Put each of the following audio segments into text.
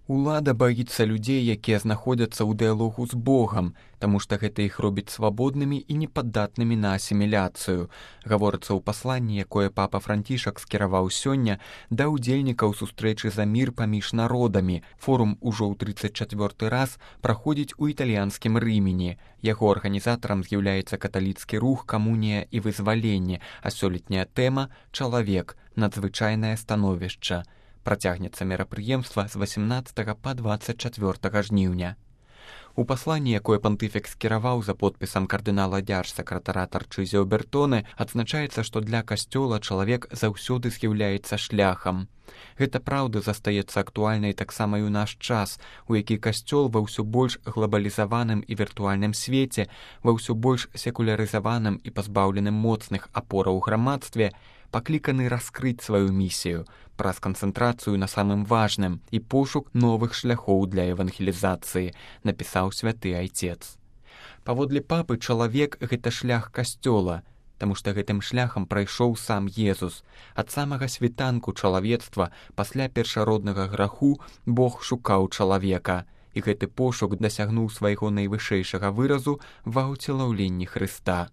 Улада баіцца людзей, якія знаходзяцца ў дыялогу з Богам, таму што гэта іх робіць свабоднымі і непаддатнымі на асіміляцыю, гаворыцца ў пасланні, якое папа Францішак скіраваў сёння да ўдзельнікаў сустрэчы за мір паміж народамі. Форум ужо ў 34 раз праходзіць у італьянскім Рымені. Яго арганізатарам з'яўляецца каталіцкі рух «Камунія і вызваленне», а сёлетняя тэма «Чалавек. Надзвычайнае становішча». Працягнецца мерапрыемства з 18 па 24 жніўня. У пасланні, якое пантыфік скіраваў за подпісам кардынала дзяржсакратара Тарчызіо Бертоне, адзначаецца, што для касцёла чалавек заўсёды з'яўляецца шляхам. Гэта праўда застаецца актуальнай таксама і ў наш час, у які касцёл ва ўсё больш глабалізаваным і віртуальным свеце, ва ўсё больш секулярызаваным і пазбаўленым моцных апораў у грамадстве, пакліканы раскрыць сваю місію праз канцэнтрацыю на самым важным і пошук новых шляхоў для евангелізацыі, напісаў святы айцец. Паводле папы чалавек — гэта шлях касцёла, таму што гэтым шляхам прайшоў сам Езус. Ад самага світанку чалавецтва пасля першароднага граху Бог шукаў чалавека, і гэты пошук дасягнуў свайго найвышэйшага выразу ва ўцелаўленні Хрыста.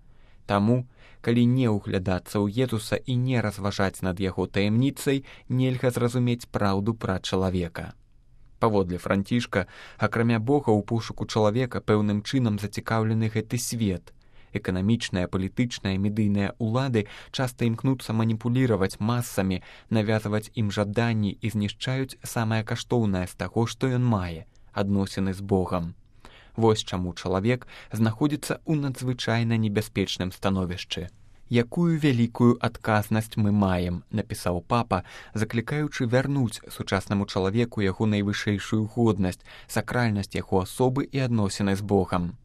Таму, калі не ўглядацца ў Езуса і не разважаць над яго таямніцай, нельга зразумець праўду пра чалавека. Паводле Францішка, акрамя Бога ў пошуку чалавека пэўным чынам зацікаўлены гэты свет. Эканамічныя, палітычныя, медыйныя улады часта імкнуцца маніпуліраваць масамі, навязваць ім жаданні і знішчаюць самае каштоўнае з таго, што ён мае — адносіны з Богам. Вось чаму чалавек знаходзіцца ў надзвычайна небяспечным становішчы. Якую вялікую адказнасць мы маем, напісаў папа, заклікаючы вярнуць сучаснаму чалавеку яго найвышэйшую годнасць, сакральнасць яго асобы і адносіны з Богам.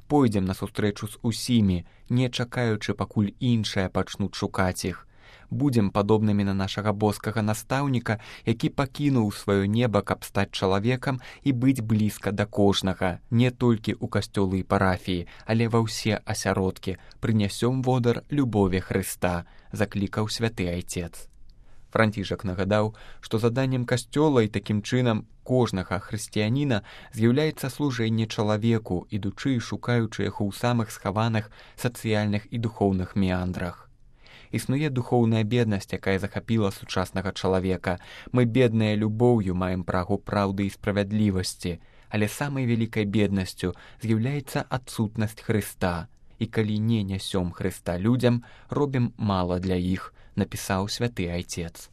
Пойдзем на сустрэчу з усімі, не чакаючы, пакуль іншыя пачнуць шукаць іх. Будзем падобнымі на нашага боскага настаўніка, які пакінуў сваё неба, каб стаць чалавекам і быць блізка да кожнага, не толькі ў касцёлы і парафіі, але ва ўсе асяродкі. Прынясём водар любові Хрыста, заклікаў святы айцец. Францішак нагадаў, што заданнем касцёла і такім чынам кожнага хрысціяніна з'яўляецца служэнне чалавеку, ідучы і шукаючы яго ў самых схаваных сацыяльных і духоўных меандрах. Існуе духоўная беднасць, якая захапіла сучаснага чалавека. Мы бедныя любоўю маем прагу праўды і справядлівасці, але самай вялікай беднасцю з'яўляецца адсутнасць Хрыста. І калі не нясём Хрыста людзям, робім мала для іх, напісаў святы айцец.